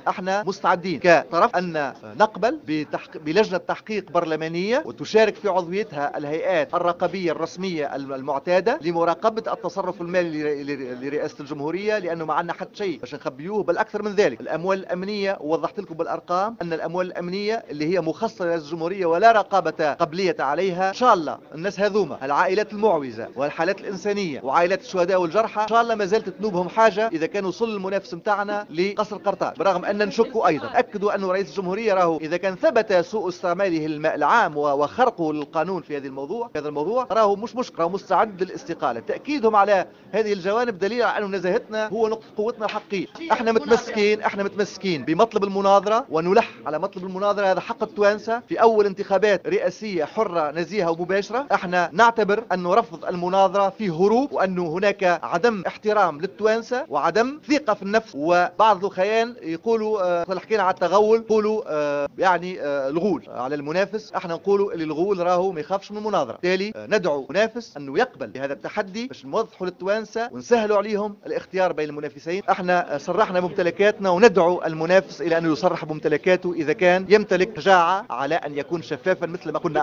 احنا مستعدين كطرف ان نقبل بلجنة تحقيق برلمانية وتشارك في عضويتها الهيئات الرقابية الرسمية المعتادة لمراقبة التصرف المالي لرئاسة الجمهورية، لأنه ما عندنا حتى شيء باش نخبيوه، بل أكثر من ذلك الأموال الأمنية، ووضحت لكم بالأرقام أن الأموال الأمنية اللي هي مخصصة لرئاسة الجمهورية ولا رقابة قبلية عليها. إن شاء الله الناس هذوما العائلات المعوزة والحالات الإنسانية وعائلات الشهداء والجرحى إن شاء الله ما زالت تنوبهم حاجة إذا كان وصل المنافس متاعنا لقصر قرطاج، برغم أن نشك أيضا. أكدوا أن رئيس الجمهورية راهو إذا كان ثبت سوء استعماله الماء العام وخرقه للقانون في هذا الموضوع راهو مش مشكلة، راهو مستعد للاستقالة. تأكيدهم على هذه الجوانب دليل على أن نزاهتنا هو نقطة قوتنا الحقيقية. احنا متمسكين بمطلب المناظرة ونلح على مطلب المناظرة، هذا حق التوانسة في أول انتخابات رئاسية حرة نزيهة ومباشرة. احنا نعتبر أن رفض المناظرة فيه هروب، وأنه هناك عدم احترام للتوانسة وعدم ثقة في النفس. وبعض الخيان يقولوا حكينا على التغول، يقولوا يعني الغول على المنافس. احنا نقولوا اللي الغول راهو ما يخافش من المناظرة. بالتالي ندعو منافس انه يقبل بهذا التحدي باش نوضحوا للتوانسه ونسهلوا عليهم الاختيار بين المنافسين. احنا صرحنا بممتلكاتنا وندعو المنافس الى انه يصرح بممتلكاته اذا كان يمتلك شجاعه على ان يكون شفافا مثل ما قلنا.